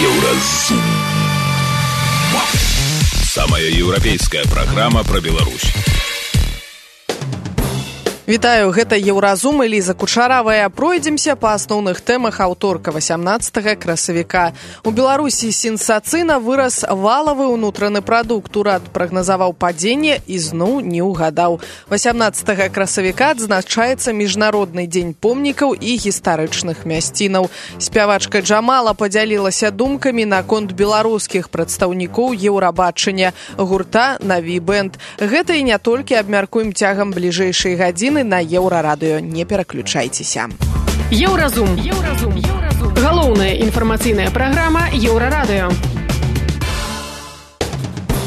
Еўразум. Самая еўрапейская праграма пра Беларусь. Вітаю, гэта Еўразум, Эліза Кучаравая. Пройдземся па асноўных тэмах аўторка 18 красавіка. У Беларусі сенсацыйна вырас валавы ўнутраны прадукт. Урад прагназаваў падзенне і зноў не ўгадаў. 18 красавіка адзначаецца Міжнародны дзень помнікаў і гістарычных мясцінаў. Спявачка Джамала падзялілася думкамі наконт беларускіх прадстаўнікоў Еўрабачання гурта «Наві Бэнд». Гэта і не толькі абмяркуем цягам бліжэйшай гадзіны на Еўрарадыё. Не пераключайцеся. Еўразум. Галоўная інфармацыйная праграма Еўрарадыё.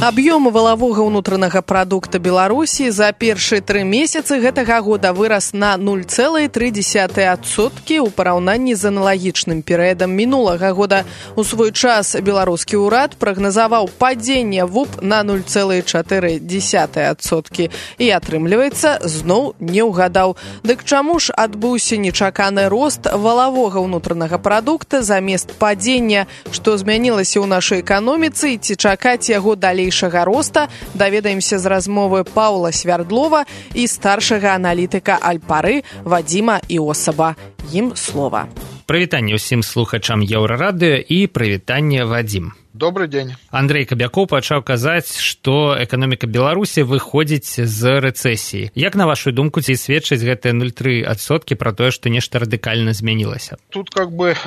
Аб'ём валавога ўнутранага прадукта Беларусі за першыя 3 месяцы гэтага года вырас на 0,3% ў параўнанні з аналагічным перыядам мінулага года. У свой час беларускі ўрад прагназаваў падзенне ВУП на 0,4%. І атрымліваецца, зноў не ўгадаў. Дык чаму ж адбыўся нечаканы рост валавога ўнутранага прадукта замест падзення? Што змянілася ў нашай эканоміцы і ці чакаць яго далей роста, даведаемся з размовы Паўла Свярдлова і старшага аналітыка Альпары Вадзіма Іосаба. Ім слова. Прывітанне ўсім слухачам Еўрарадыё і прывітанне, Вадзім. Добрый день. Андрей Кабякоў пачаў казаць, што эканоміка Беларусі выходзіць з рэцэсіі. Як, на вашу думку, ці сведчыць гэтыя 0,3% пра тое, што нешта радыкальна змянілася? Тут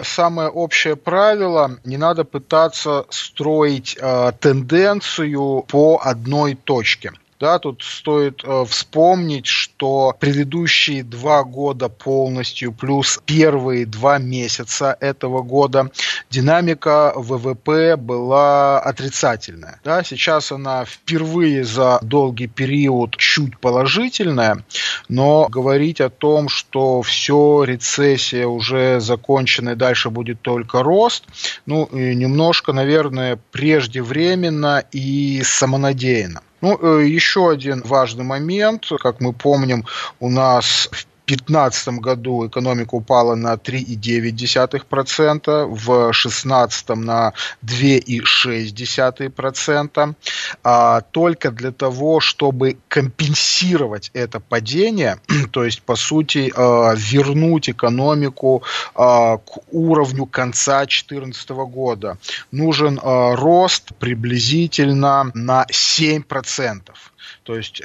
самое общее правило. Не надо пытаться строить тенденцию по одной точке. Да, тут стоит вспомнить, что предыдущие 2 года полностью плюс первые 2 месяца этого года динамика ВВП была отрицательная. Да, сейчас она впервые за долгий период чуть положительная, но говорить о том, что все, рецессия уже закончена и дальше будет только рост, немножко, наверное, преждевременно и самонадеянно. Еще один важный момент. Как мы помним, у нас в 2015 году экономика упала на 3,9%, в 2016 на 2,6%. Только для того, чтобы компенсировать это падение, то есть, по сути, вернуть экономику к уровню конца 2014 года, нужен рост приблизительно на 7%. То есть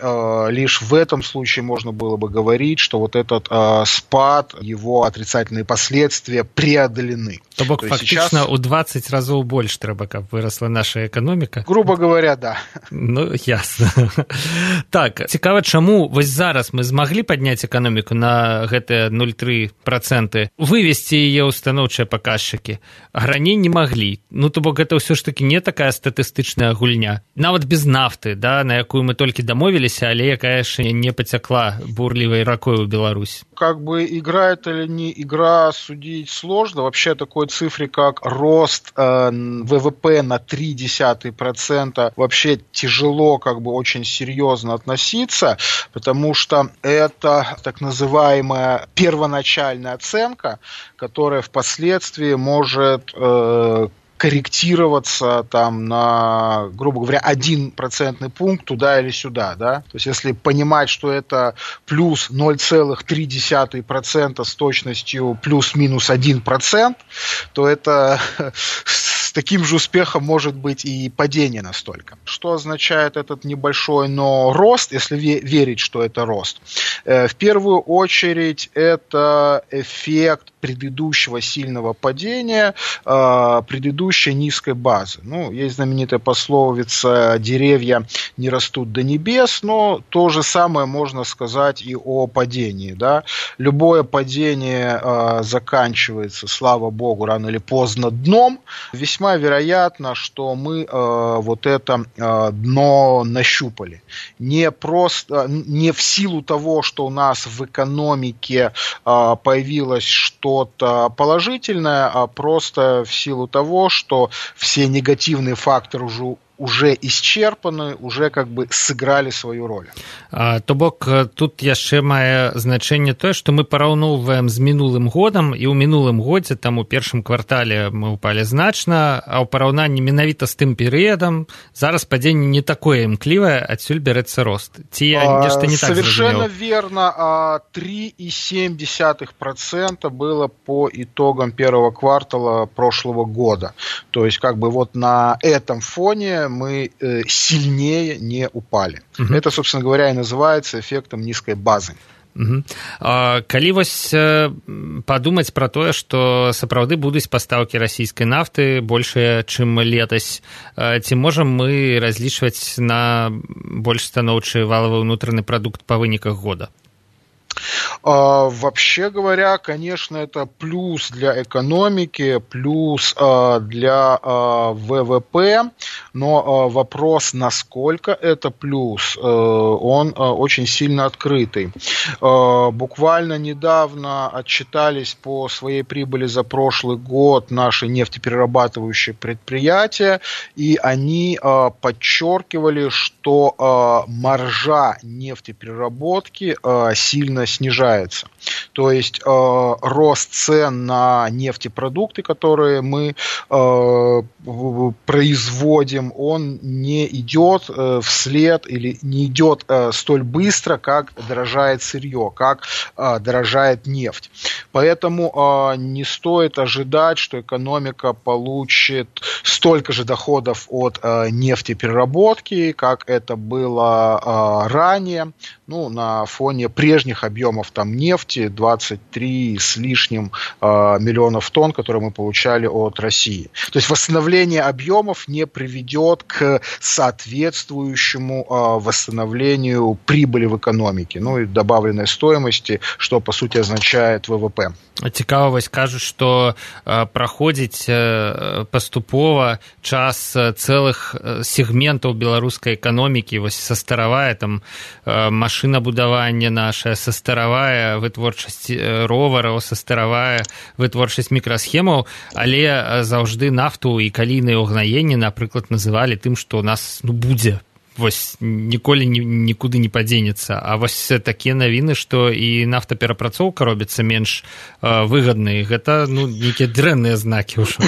лишь в этом случае можно было бы говорить, что вот этот спад, его отрицательные последствия преодолены. То бок фактично сейчас... у 20 разоў больш трэба, каб вырасла наша эканоміка? Грубо говоря, да. Ясно. Так, цікава, чаму вось зараз мы змаглі падняць эканоміку на гэтыя 0,3%, вывесці яе ў станоўчыя паказчыкі, а раней не маглі. То бок гэта ўсё ж таки не такая статыстычная гульня. Нават без нафты, да, на якую мы толькі дамовіліся, але якая яшчэ не пацякла бурлівай ракой у Беларусь. Игра это или не игра, судить сложно. Вообще такой цифре, как рост ВВП на 0,3%, вообще тяжело очень серьезно относиться, потому что это так называемая первоначальная оценка, которая впоследствии может корректироваться на, грубо говоря, 1% пункт туда или сюда, да. То есть, если понимать, что это плюс 0,3% с точностью плюс-минус 1%, то это с таким же успехом может быть и падение настолько. Что означает этот небольшой, но рост, если верить, что это рост? В первую очередь, это эффект предыдущего сильного падения, предыдущей низкой базы. Есть знаменитая пословица «деревья не растут до небес», но то же самое можно сказать и о падении. Да? Любое падение заканчивается, слава богу, рано или поздно дном. Весьма вероятно, что мы вот это дно нащупали. Не в силу того, что у нас в экономике появилось что что-то положительное, а просто в силу того, что все негативные факторы уже уже исчерпаны, уже как бы сыграли свою роль. То бок тут яшчэ мае значэнне тое, што мы параўноўваем з мінулым годам, і ў мінулым годзе там у першым квартале мы ўпалі значна, а ў параўнанні менавіта з тым перыядам зараз падзенне не такое імклівае, адсюль бярэцца рост. Ці я нешта не так совершенно зразумеў? верно. 3,7% было по итогам первого квартала прошлого года. То есть как бы вот на этом фоне мы сильнее не упали. Это, собственно говоря, и называется эффектом низкой базы. Калі вось падумаць пра тое, што сапраўды будуць пастаўкі расійскай нафты большыя, чым летась, ці можам мы разлічваць на больш станоўчы валавы ўнутраны прадукт па выніках года? Вообще говоря, конечно, это плюс для экономики, плюс для ВВП, но вопрос, насколько это плюс, он очень сильно открытый. Буквально недавно отчитались по своей прибыли за прошлый год наши нефтеперерабатывающие предприятия, и они подчеркивали, что маржа нефтепереработки сильно снижается. То есть рост цен на нефтепродукты, которые мы производим, он не идет вслед или не идет столь быстро, как дорожает сырье, как дорожает нефть. Поэтому не стоит ожидать, что экономика получит столько же доходов от нефтепереработки, как это было ранее, на фоне прежних объемов там нефти, 23 с лишним миллионов тонн, которые мы получали от России. То есть восстановление объемов не приведет к соответствующему восстановлению прибыли в экономике, и добавленной стоимости, что по сути означает ВВП. Цікава, вось кажуць, што праходзіць паступова час цэлых сегментаў беларускай эканомікі, вось састаравае там машынабудаванне нашае, састаравае вытворчасць ровараў, састаравае вытворчасць мікрасхемаў, але заўжды нафту і калійныя ўгнаенні, напрыклад, называлі тым, што ў нас будзе. Вось ніколі нікуды не падзенецца. А вось такія навіны, што і нафтаперапрацоўка робіцца менш выгаднай, гэта нейкія дрэнныя знакі ўжо.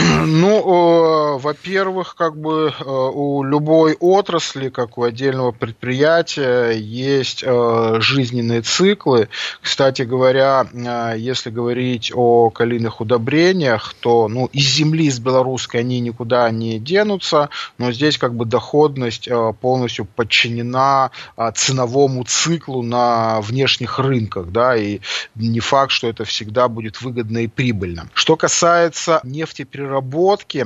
Во-первых, как бы у любой отрасли, как у отдельного предприятия, есть жизненные циклы. Кстати говоря, если говорить о калийных удобрениях, то из земли, из белорусской они никуда не денутся, но здесь как бы доходность полностью подчинена ценовому циклу на внешних рынках, и не факт, что это всегда будет выгодно и прибыльно. Что касается нефтепереработки,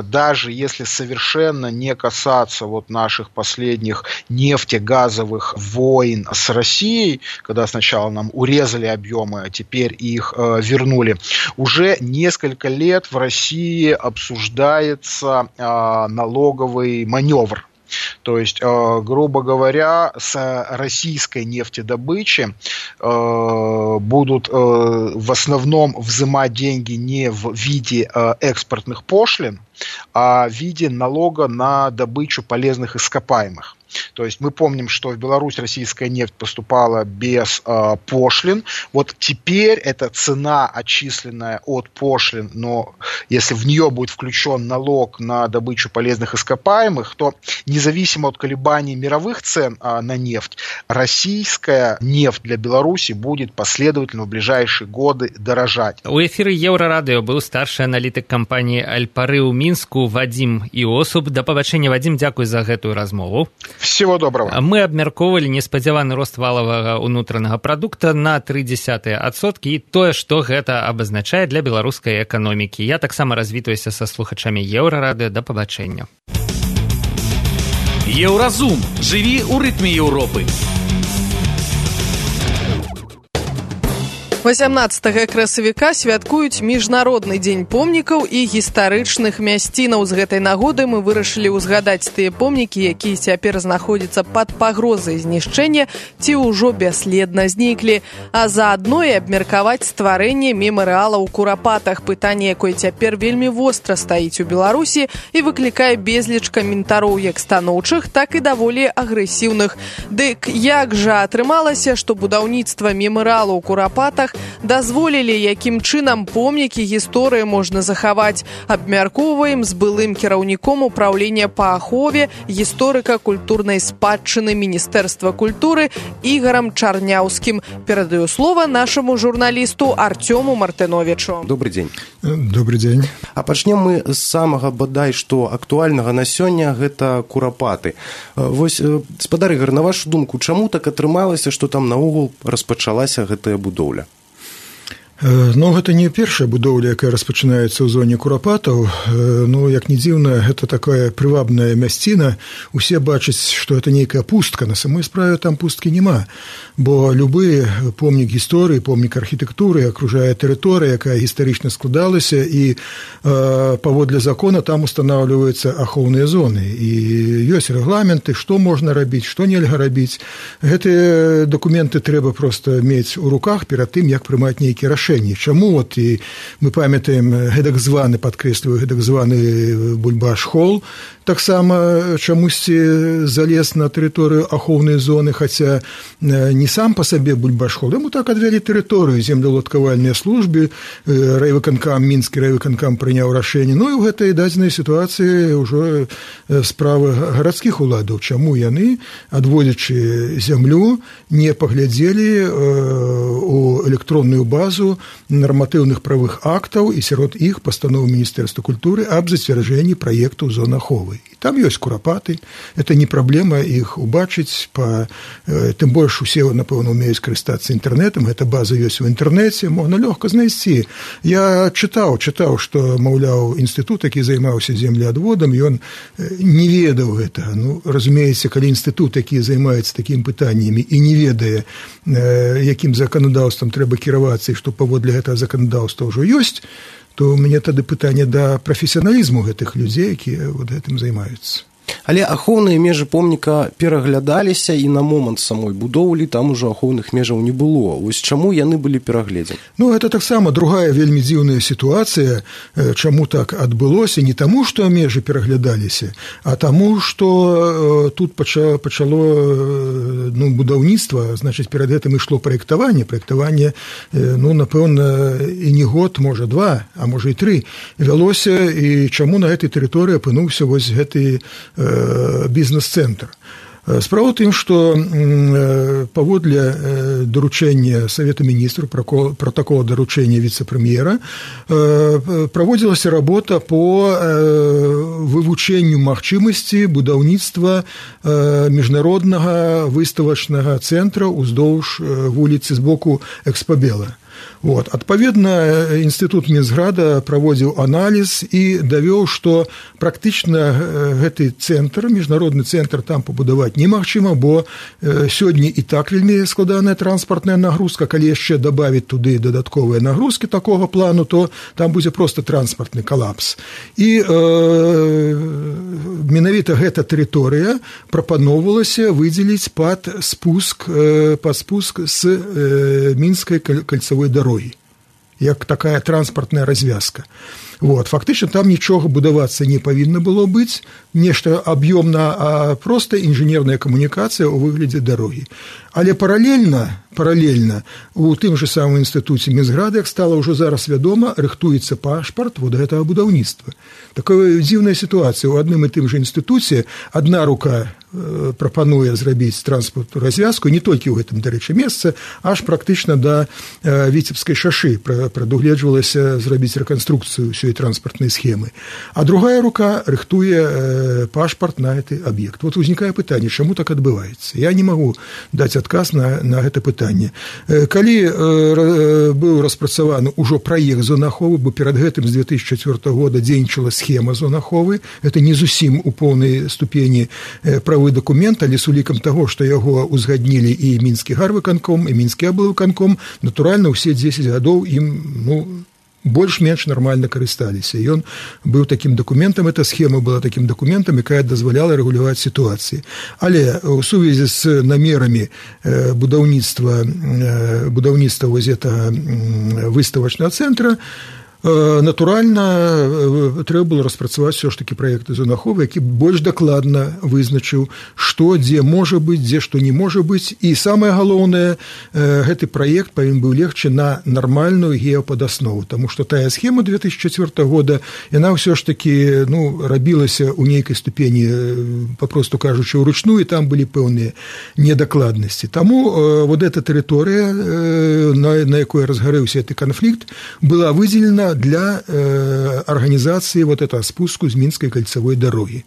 даже если совершенно не касаться наших последних нефтегазовых войн с Россией, когда сначала нам урезали объемы, а теперь их вернули, уже несколько лет в России обсуждается налоговый маневр. То есть, грубо говоря, с российской нефтедобычи будут в основном взимать деньги не в виде экспортных пошлин, а в виде налога на добычу полезных ископаемых. То есть мы помним, что в Беларусь российская нефть поступала без пошлин. Вот теперь эта цена, отчисленная от пошлин, но если в нее будет включен налог на добычу полезных ископаемых, то независимо от колебаний мировых цен на нефть, российская нефть для Беларуси будет последовательно в ближайшие годы дорожать. У эфіры Еўрарадыё быў старшы аналітык кампаніі Альпары ў Мінску Вадзім Іосуб. Да пабачэння, Вадзім, дзякуй за гэтую размову. Всего доброго. Мы абмяркоўвалі неспадзяваны рост валавага ўнутранага прадукта на 0,3%, і тое, што гэта абазначае для беларускай эканомікі. Я таксама развітваюся са слухачамі Еўрарадыё. Да пабачэння. Еўразум. Жыві ў рытме Еўропы. 18 красавіка святкуюць міжнародны дзень помнікаў і гістарычных мясцінаў. З гэтай нагоды мы вырашылі ўзгадаць тыя помнікі, якія цяпер знаходзяцца пад пагрозай знішчэння ці ўжо бясследна зніклі, а заадно і абмеркаваць стварэнне мемарыала ў Курапатах, пытанне, якое цяпер вельмі востра стаіць у Беларусі і выклікае безліч каментароў як станоўчых, так і даволі агрэсіўных. Дык як жа атрымалася, што будаўніцтва мемарыала ў Курапатах дазволілі, якім чынам помнікі гісторыі можна захаваць. Абмяркоўваем з былым кіраўніком управлення па ахове гісторыка-культурнай спадчыны Міністэрства культуры Ігорам Чарняўскім. Перадаю слова нашаму журналісту Артёму Мартыновичу. Добрый дзень. Добрый дзень. А пачнем мы з самага бадай што актуальнага на сёння, гэта Курапаты. Вось, спадар Ігор, на вашу думку, чаму так атрымалася, што там наогул распачалася гэтая будоўля? Ну, гэта не першая будоўля, якая распачынаецца ў зоне Курапатаў. Ну, як не дзіўна, гэта такая прывабная мясціна. Усе бачаць, што гэта нейкая пустка. На самой справе там пусткі няма. Бо любы помнік гісторыі, помнік архітэктуры акружае тэрыторыя, якая гістарычна складалася, і паводле закона там устанаўліваюцца ахоўныя зоны. І ёсць рэгламенты, што можна рабіць, што нельга рабіць. Гэтыя дакументы трэба проста мець у руках перад тым, як прымаць нейкія рашэнні. Чаму от і мы памятаем гэтак званы, падкрэсліваю, гэтак званы Бульбаш-Холл, таксама чамусьці залез на тэрыторыю ахоўнай зоны, хаця не сам па сабе Бульбаш-Холл, яму так адвялі тэрыторыю, землеўладкавальныя службы, райвыканкам, мінскі райвыканкам прыняў рашэнне. Ну і ў гэтай дадзенай сітуацыі ўжо справа гарадскіх уладаў, чаму яны, адводзячы зямлю, не паглядзелі у электронную базу нарматыўных правых актаў і сярод іх пастанову Міністэрства культуры аб зацвярджэнні праектаў зон аховы. І там ёсць Курапаты, это не праблема іх убачыць, тым больш усе, напэўна, умеюць карыстацца інтэрнэтам, гэта база ёсць у інтэрнэце, можна лёгка знайсці. Я чытаў, што, маўляў, інстытут, які займаўся землеадводам, ён не ведаў гэта. Ну, разумееце, калі інстытут, які займаецца такімі пытаннямі і не ведае, якім заканадаўствам трэба кіравацца, і што паводле гэтага заканадаўства ўжо ёсць, то ў мяне тады пытанне да прафесіяналізму гэтых людзей, якія вот гэтым займаюцца. Але ахоўныя межы помніка пераглядаліся, і на момант самой будоўлі там ужо ахоўных межаў не было. Вось чаму яны былі перагледзены? Ну, гэта таксама другая вельмі дзіўная сітуацыя. Чаму так адбылося? Не таму, што межы пераглядаліся, а таму, што тут пачало будаўніцтва, значыць, перад гэтым ішло праектаванне. Праектаванне, напэўна, і не год, можа, 2, а можа і 3 вялося, і чаму на гэтай тэрыторыі апынуўся вось гэты бізнес-цэнтр. Справа ў тым, што паводле даручэння Савета Міністраў, пратакола даручэння віцэ-прэм'ера, праводзілася работа по вывучэнню магчымасці будаўніцтва міжнароднага выставачнага цэнтра ўздоўж вуліцы з боку Экспабела. Вот. Адпаведна, інстытут Мінсграда праводзіў аналіз і давёў, што практычна гэты цэнтр, міжнародны цэнтр там пабудаваць немагчыма, бо сёння і так вельмі складаная транспартная нагрузка, калі яшчэ дабавіць туды дадатковыя нагрузкі такога плану, то там будзе проста транспартны калапс. І менавіта гэта тэрыторыя прапаноўвалася выдзеліць пад спуск з мінскай кальцавой дарогі, як такая транспартная развязка. Вот. Фактычна там нічога будавацца не павінна было быць, нешта аб'ёмна, а проста інжынерная камунікацыя ў выглядзе дарогі. Але паралельна у тым же самым інстытуце Мінсграда, як стала ўжо зараз вядома, рыхтуецца пашпарт вот гэтага будаўніцтва. Такая дзіўная сітуацыя. У адным і тым же інстытуце адна рука прапануе зрабіць транспартную развязку, не толькі ў гэтым, дарэчы, месцы, аж практычна да Віцебскай шашы прадугледжвалася зрабіць рэканструкцыю ўсёй транспартнай схемы. А другая рука рыхтуе пашпарт на гэты аб'ект. Вот узнікае пытанне, чаму так адбываецца? Я не магу даць адказ на гэта пытанне. пытанне. Калі быў распрацаваны ўжо праект зонаховы, бо перад гэтым з 2004 года дзейнічала схема зонаховы, это не зусім у поўнай ступені правы дакумент, але з улікам таго, што яго узгаднілі і мінскі гарвыканком, і мінскі аблвыканком, натуральна, ўсе 10 гадоў ім, больш-менш нармальна карысталіся. Ён быў такім дакументам, эта схема была такім дакументам, якая дазваляла рэгуляваць сітуацыі. Але ў сувязі з намерамі будаўніцтва вось гэтага выставачнага цэнтра, натуральна, трэба было распрацаваць все ж такі праект зонаховы, які больш дакладна вызначыў, што, дзе можа быць, дзе што не можа быць. І самае галоўнае, гэты праект павінен быў легчы на нармальную геападаснову, таму што тая схема 2004 года, яна ўсё ж такі рабілася ў нейкай ступені, папросту кажучы, ўручную, і там былі пэўныя недакладнасці. Таму вот эта тэрыторыя, на якой разгарэўся гэты канфлікт, была выдзелена для организации вот этого спуску з Мінскай кольцевой дороги.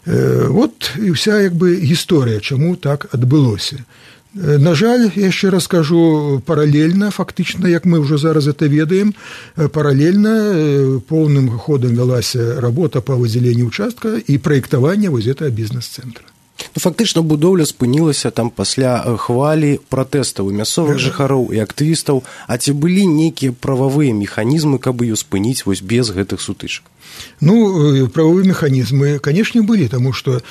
Вот і вся гісторыя, чаму так адбылося. На жаль, я яшчэ раз кажу, паралельна, фактычна, як мы ўжо зараз это ведаем, паралельна поўным ходам вялася работа па выдзяленні ўчастка і праектаванне вось гэтага бізнес-цэнтра. Фактычна будоўля спынілася там пасля хвалі пратэстаў і мясцовых жыхароў і актывістаў, а ці былі нейкія прававыя механізмы, каб ее спыніць вось без гэтых сутычак? Правовые механизмы, конечно, были, потому что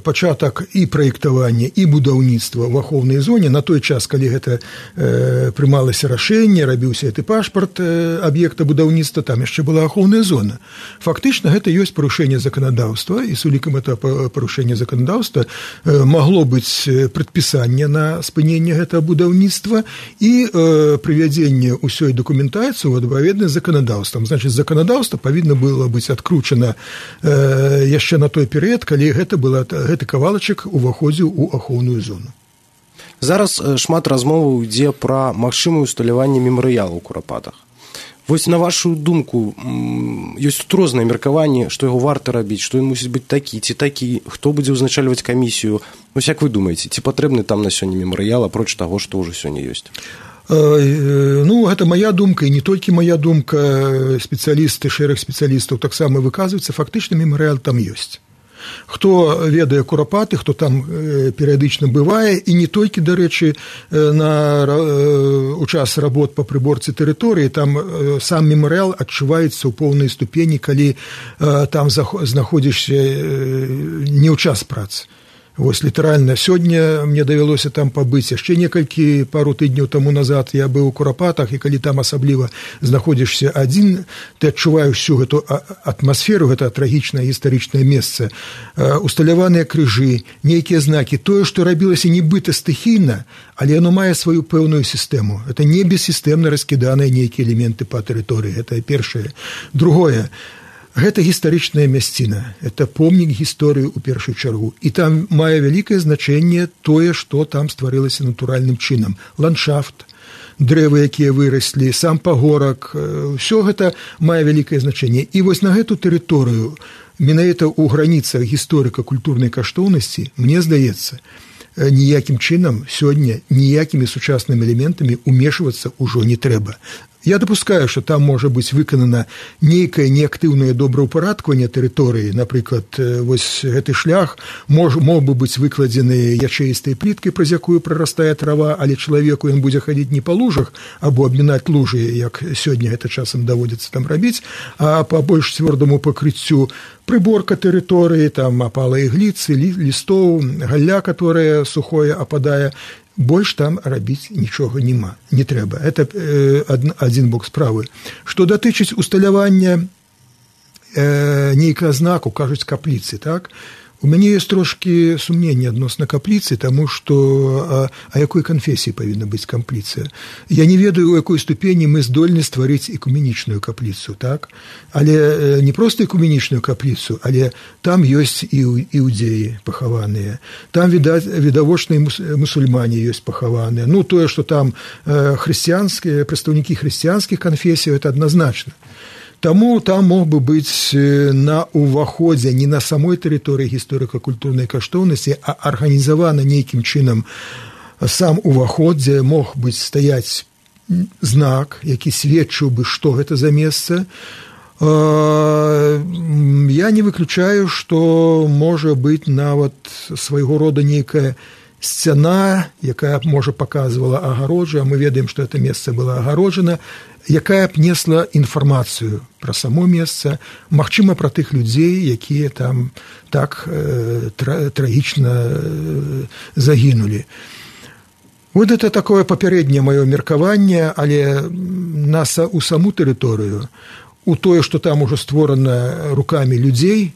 пачатак и проектования, и будаўніцтва в ахоўнай зоне на той час, калі гэта прымалася рашэнне, рабіўся гэты пашпарт аб'екта будаўніцтва, там яшчэ была ахоўная зона. Фактычна, гэта ёсць парушэнне заканадаўства, і з улікам этого парушэння заканадаўства магло быць прадпісанне на спыненне гэтага будаўніцтва і прывядзенне ўсёй дакументацыі ў адпаведнасць з заканадаўствам. Значыць, заканадаўства павінна было быць адкручана яшчэ на той перыяд, калі гэты кавалачак уваходзіў у ахоўную зону. Зараз шмат размоваў ідзе пра магчымае усталяванне мемарыялу ў Курапатах. Вось на вашу думку, ёсць тут розныя меркаванні, што яго варта рабіць, што ён мусіць быць такі ці такі, хто будзе ўзначальваць камісію. Вось як вы думаеце, ці патрэбны там на сёння мемарыял, апроч таго, што ўжо сёння ёсць? Гэта моя думка, і не толькі моя думка, спецыялісты, шэраг спецыялістаў таксама выказваюцца, фактычна мемарыял там ёсць. Хто ведае Курапаты, хто там перыядычна бывае, і не толькі, дарэчы, у час работ па прыборцы тэрыторыі, там сам мемарыял адчуваецца ў поўнай ступені, калі там знаходзішся не ў час працы. Вось літаральна сёння мне давялося там пабыць, яшчэ пару тыдняў таму назад я быў у Курапатах, і калі там асабліва знаходзішся адзін, ты адчуваеш всю гэту атмасферу, гэта трагічнае гістарычнае месца, усталяваныя крыжы, нейкія знакі, тое, што рабілася нібыта стыхійна, але яно мае сваю пэўную сістэму. Это не бессістэмна раскіданыя нейкія элементы па тэрыторыі, гэта першае. Другое, гэта гістарычная мясціна, это помнік гісторыі ў першую чаргу. І там мае вялікае значэнне тое, што там стварылася натуральным чынам. Ландшафт, дрэвы, якія выраслі, сам пагорак, ўсё гэта мае вялікае значэнне. І вось на гэту тэрыторыю, менавіта ў граніцах гісторыка-культурнай каштоўнасці, мне здаецца, ніякім чынам сёння ніякімі сучаснымі элементамі умешвацца ўжо не трэба. Я дапускаю, што там можа быць выканана нейкае неактыўнае добраўпарадкаванне тэрыторыі. Напрыклад, вось гэты шлях мог бы быць выкладзены ячэістай пліткай, праз якую прарастае трава, але чалавеку ён будзе хадзіць не па лужах або абмінаць лужы, як сёння гэта часам даводзіцца там рабіць, а па больш цвёрдаму пакрыццю прыборка тэрыторыі, там апала ігліцы, лістоў, галля, которая сухое ападае. Больш там рабіць нічога не трэба. Это адзін бок справы. Што датычыць усталявання нейкага знаку, кажуць, капліцы, так? У мяне ёсць трошкі сумненне адносна капліцы, таму што а якой канфесіі павінна быць капліца? Я не ведаю, у якой ступені мы здольны стварыць экуменічную капліцу, так? Але не проста экуменічную капліцу, але там ёсць і іудзеі пахаваныя. Там, відавочныя мусульмане ёсць пахаваныя. Тое, што там хрысціянскія, прадстаўнікі хрысціянскіх канфесій, это адназначна. Таму там мог бы быць на ўваходзе не на самой тэрыторыі гісторыка-культурнай каштоўнасці, а арганізавана нейкім чынам сам уваход, дзе мог быць стаяць знак, які сведчыў бы, што гэта за месца. Я не выключаю, што можа быць нават свайго рода нейкая сцяна, якая б, можа, паказвала агароджу, а мы ведаем, што гэта месца было агароджана, якая б несла інфармацыю пра само месца, магчыма, пра тых людзей, якія там так трагічна загінулі. Вот это такое папярэдняе маё меркаванне, але у саму тэрыторыю, у тое, што там ужо створана рукамі людзей,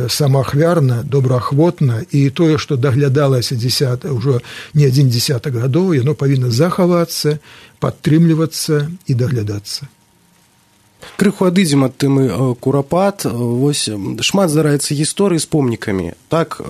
самаахвярна, добраахвотна, і тое, што даглядалася ўжо не адзін дзесятак гадоў, яно павінна захавацца, падтрымлівацца і даглядацца. Крыху адыдзем ад тэмы Курапат. Вось шмат здараецца гісторый з помнікамі. Так,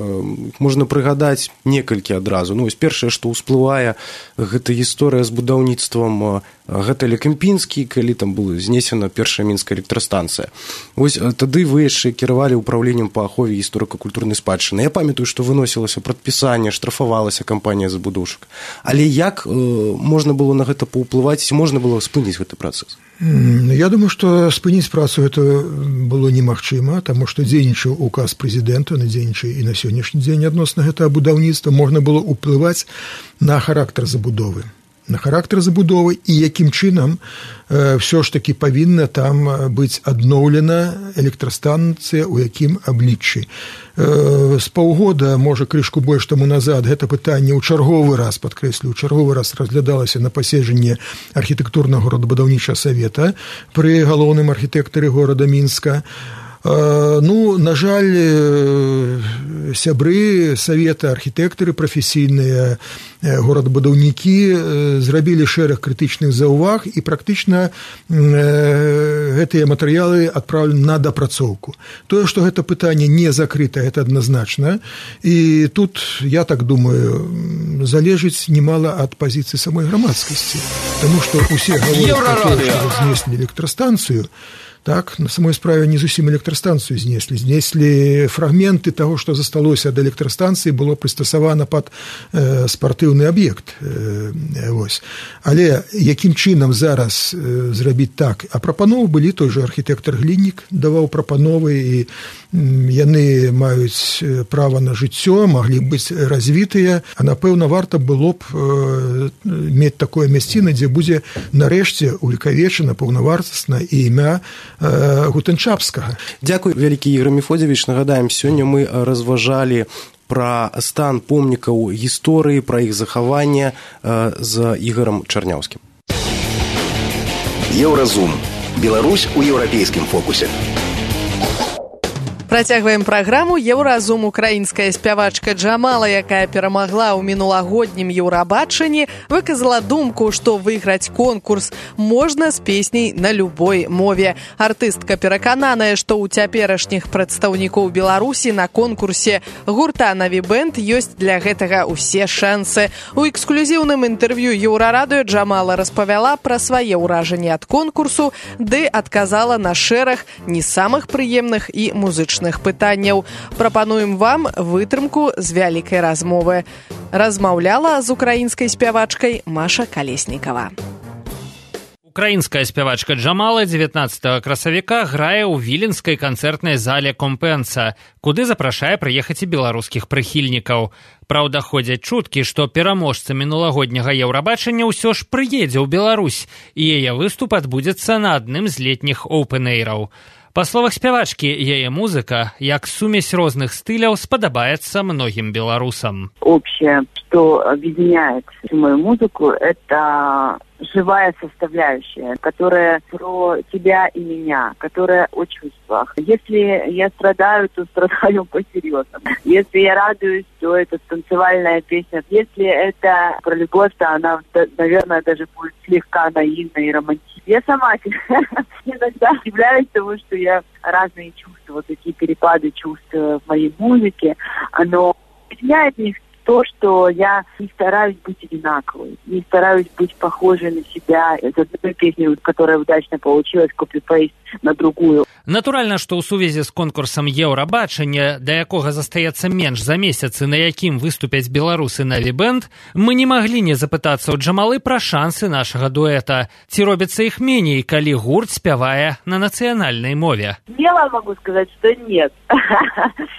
можна прыгадаць некалькі адразу. Ну, вось першае, што ўсплывае, гэта гісторыя з будаўніцтвам гэтэля Кемпінскі, калі там была знесена першая мінская электрастанцыя. Вось тады вы яшчэ кіравалі ўпраўленнем па ахове гісторыка-культурнай спадчыны. Я памятаю, што выносілася прадпісанне, штрафавалася кампанія забудоўшчык. Але як можна было на гэта паўплываць, ці можна было спыніць гэты працэс? Я думаю, што спыніць працу гэта было немагчыма, таму што дзейнічаў указ прэзідэнта, дзейнічае і на сённяшні дзень адносна гэтага будаўніцтва, можна было ўплываць на характар забудовы. На характар забудовы і якім чынам ўсё ж такі павінна там быць адноўлена электрастанцыя, у якім абліччы. З паўгода, можа, крышку больш таму назад, гэта пытанне ў чарговы раз, падкрэслю, ў чарговы раз разглядалася на паседжанні архітэктурнага горадабудаўнічага савета пры галоўным архітэктары горада Мінска. Ну, на жаль, сябры савета, архітэктары прафесійныя, горадабудаўнікі зрабілі шэраг крытычных заўваг і практычна гэтыя матэрыялы адпраўлены на дапрацоўку. Тое, што гэта пытанне не закрыта, гэта адназначна. І тут, я так думаю, залежыць немала ад пазіцыі самой грамадскасці. Таму што ўсе гавораць, што знеслі электрастанцыю, так, на самой справе не зусім электрастанцыю знеслі. Знеслі фрагменты таго, што засталося ад электрастанцыі, было прыстасавана пад спартыўны аб'ект. Але якім чынам зараз зрабіць так? А прапановы былі, той жа архітэктар Гліннік даваў прапановы, і яны маюць права на жыццё, маглі быць развітыя, а напэўна варта было б мець такое мясціна, дзе будзе нарэшце увекавечана паўнавартасна і імя Гутэнчапскага. Дзякуй, вялікі Ігор Мефодзевіч. Нагадаем, сёння мы разважалі пра стан помнікаў гісторыі, пра іх захаванне з Ігорам Чарняўскім. Еўразум. Беларусь у еўрапейскім фокусе. Працягваем праграму. Еўразум. Украінская спявачка Джамала, якая перамагла ў мінулагоднім Еўрабачанні, выказала думку, што выйграць конкурс можна з песняй на любой мове. Артыстка перакананая, што ў цяперашніх прадстаўнікоў Беларусі на конкурсе гурта «Наві Бэнд» ёсць для гэтага ўсе шансы. У эксклюзіўным інтэрв'ю Еўрарадыё Джамала распавяла пра свае ўражанні ад конкурсу, ды адказала на шэраг не самых прыемных і музычных пытанняў. Прапануем вам вытрымку з вялікай размовы. Размаўляла з украінскай спявачкай Маша Калеснікава. Украінская спявачка Джамала 19 красавіка грае ў віленскай канцэртнай зале «Компенса», куды запрашае прыехаць і беларускіх прыхільнікаў. Праўда, ходзяць чуткі, што пераможца мінулагодняга Еўрабачання ўсё ж прыедзе ў Беларусь, і яе выступ адбудзецца на адным з летніх оўпэн-эйраў. Па словах спявачкі, яе музыка, як сумесь розных стыляў, сподобается многим белорусам. Общее, что объединяет мою музыку, это живая составляющая, которая про тебя и меня, которая о чувствах. Если я страдаю, то страдаю по-серьезному. Если я радуюсь, то это танцевальная песня. Если это про любовь, то она, наверное, даже будет слегка наивной и романтичной. Я сама иногда удивляюсь того, что я разные чувства, вот такие перепады чувств в моей музыке, оно объединяет их то, что я не стараюсь быть одинаковой, не стараюсь быть похожей на себя из одной песни, которая удачно получилась, копи-пейст на другую. Натуральна, што ў сувязі з конкурсам Еўрабачання, да якога застаецца менш за месяц і на якім выступяць беларусы Нави Бэнд, мы не маглі не запытацца ў Джамалы пра шансы нашага дуэта. Ці робіцца іх меней, калі гурт спявае на нацыянальнай мове? Смело могу сказать, что нет.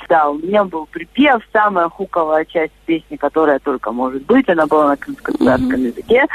Да, у меня был припев, самая хуковая часть песни, которая только может быть. Она была на крымско-татарском языке.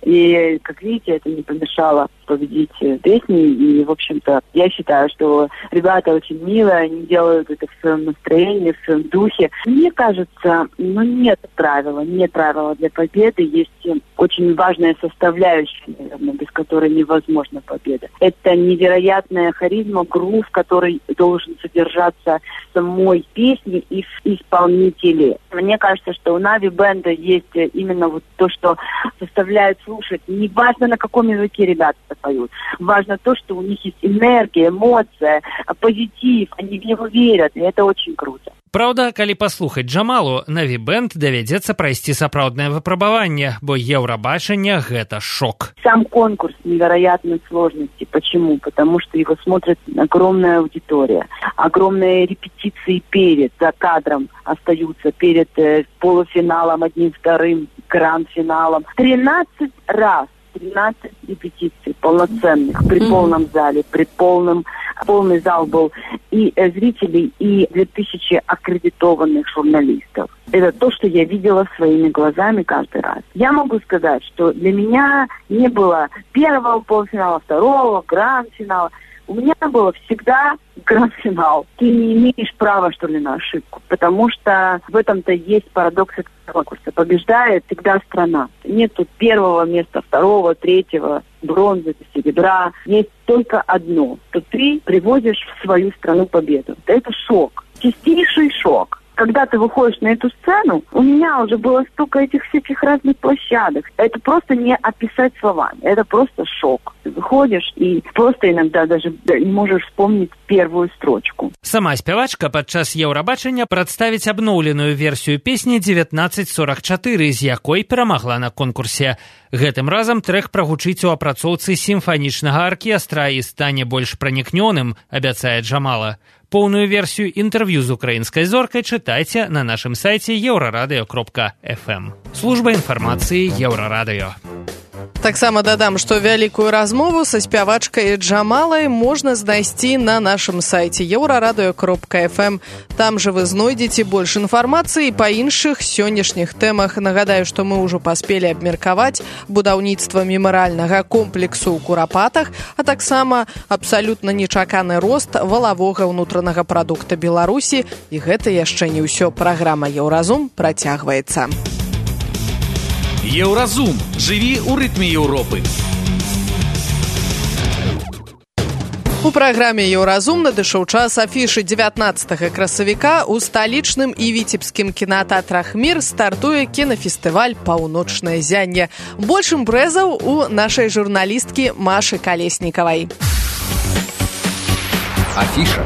И, как видите, это не помешало победить песни. И, в общем-то, я считаю, что ребята очень милые, они делают это в своем настроении, в своем духе. Мне кажется, нет правила для победы. Есть очень важная составляющая, наверное, без которой невозможна победа. Это невероятная харизма, грув, который должен содержаться в самой песне и в исполнителе. Мне кажется, что у Нави Бэнда есть именно вот то, что заставляет слушать. Не важно, на каком языке ребята поют. Важно то, что у них есть энергия, эмоция, позитив. Они в него верят, и это очень круто. Праўда, калі паслухаць Джамалу, Нави Бэнд давядзецца прайсці сапраўднае выпрабаванне, бо Еўрабачанне – гэта шок. Сам конкурс невероятной сложности. Почему? Потому что его смотрит огромная аудитория. Огромные репетиции за кадром остаются перед полуфиналом, одним, вторым, гранд-финалом. 13 репетиций полноценных при полном зале, полный зал был и зрителей, и 2000 аккредитованных журналистов. Это то, что я видела своими глазами каждый раз. Я могу сказать, что для меня не было первого полуфинала, второго, гранд-финала. У меня было всегда гранд-финал. Ты не имеешь права, что ли, на ошибку, потому что в этом-то есть парадокс этого конкурса. Побеждает всегда страна. Нет тут первого места, второго, третьего, бронзы, серебра. Есть только одно, что ты привозишь в свою страну победу. Это шок, чистейший шок. Когда ты выходишь на эту сцену, у меня уже было столько этих всяких разных площадок. Это просто не описать словами. Это просто шок. Ты выходишь и просто иногда даже не можешь вспомнить первую строчку. Сама спявачка падчас Еўрабачання прадставіць абноўленую версію песні 1944, з якой перамагла на конкурсе. Гэтым разам трэх прагучыць у апрацоўцы сімфанічнага аркестра і стане больш пранікнёным, абяцае Джамала. Поўную версію інтэрв'ю з украінскай зоркай чытайце на нашым сайце euraradыё.fm. Служба інфармацыі Еўрарадыё. Таксама дадам, што вялікую размову са спявачкай Джамалай можна знайсці на нашым сайце euraradыё.fm. Там жа вы знойдзеце больш інфармацыі па іншых сённяшніх тэмах. Нагадаю, што мы ўжо паспелі абмеркаваць будаўніцтва мемарыяльнага комплексу ў Курапатах, а таксама абсалютна нечаканы рост валавога ўнутранага прадукта Беларусі. І гэта яшчэ не ўсё. Праграма «Еўразум» працягваецца. Еўразум. Жыві ў рытме Еўропы. У праграме «Еўразум» надышоў час афішы 19 красавіка. У сталічным і віцебскім кінатэатрах «Мір» стартуе кінафестываль «Паўночнае зянне». Больш імпрэзаў у нашай журналісткі Машы Калеснікавай. Афіша.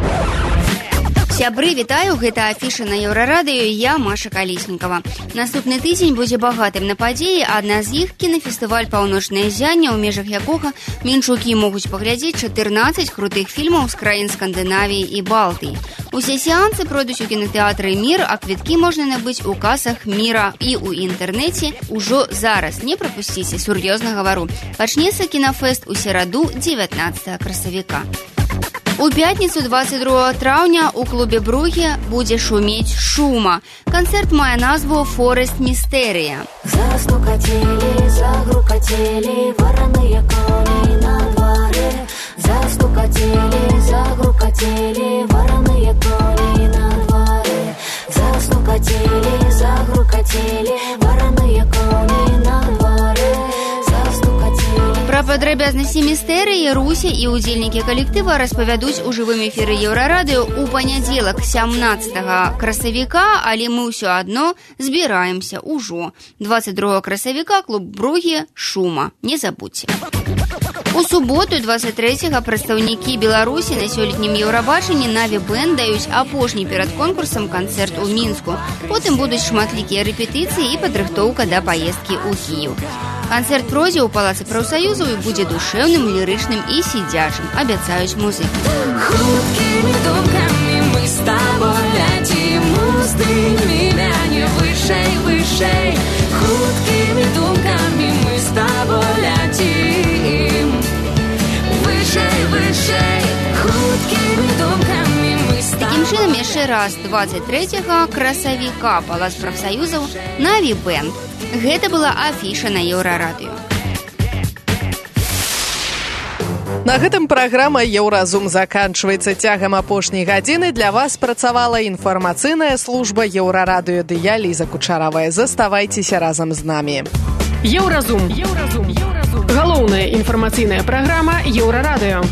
Сябры, вітаю, гэта афіша на Еўрарадыё, я Маша Калеснікава. Наступны тыдзень будзе багатым на падзеі, адна з іх кінафестываль «Паўночнае зянне», у межах якога менчукі могуць паглядзець 14 крутых фільмаў з краін Скандынавіі і Балтыі. Усе сеансы пройдуць у кінатэатры «Мір», а квіткі можна набыць у касах «Міра» і ў інтэрнэце ўжо зараз. Не прапусціце, сур'ёзна гавару. Пачнецца кінафэст у сераду 19 красавіка. У пятніцу 22 траўня у клубе «Бругі» будзе шумець шума. Канцэрт мае назву «Форест Містэрыя». Застукацелі, загрукацелі, вараныя коні на дварэ. Застукацелі, загрукацелі, вараныя коні на дварэ. Застукацелі, загрукацелі, вараныя коні на дварэ. Пра падрабязнасці Усе містэрыі Руся і ўдзельнікі калектыва распавядуць у жывым эфіры Еўрарадыё ў панядзелак 17 красавіка, але мы ўсё адно збіраемся ўжо. 22 красавіка клуб Бругі Шума. Не забудзьце. У суботу 23-го прадстаўнікі Беларусі на сёлетнім Еўрабачанні Наві Бэнд даюць апошні перад конкурсам канцэрт у Мінску. Потым будуць шматлікія рэпетыцыі і падрыхтоўка да паездкі ў Кіеў. Канцэрт пройдзе ў Палацы прафсаюзаў і будзе душэўным, лірычным і сідзячым, абяцаюць музыкі. Хуткімі думкамі мы з табой ляцім, уздымі мяне вышэй, вышэй. Хуткімі думкамі мы з табой ляцім, вышэй, вышэй. Хуткімі думкамі мы з табой. Такім чынам, яшчэ раз 23-го красавіка Палац прафсаюзаў Наві Бэнд. Гэта была афіша на Еўрарадыё. На гэтым праграма «Еўразум» заканчваецца. Цягам апошняй гадзіны для вас працавала інфармацыйная служба Еўрарадыё ды я, Ліза Кучаравая. Заставайцеся разам з намі. Еўразум. Галоўная інфармацыйная праграма Еўрарадыё.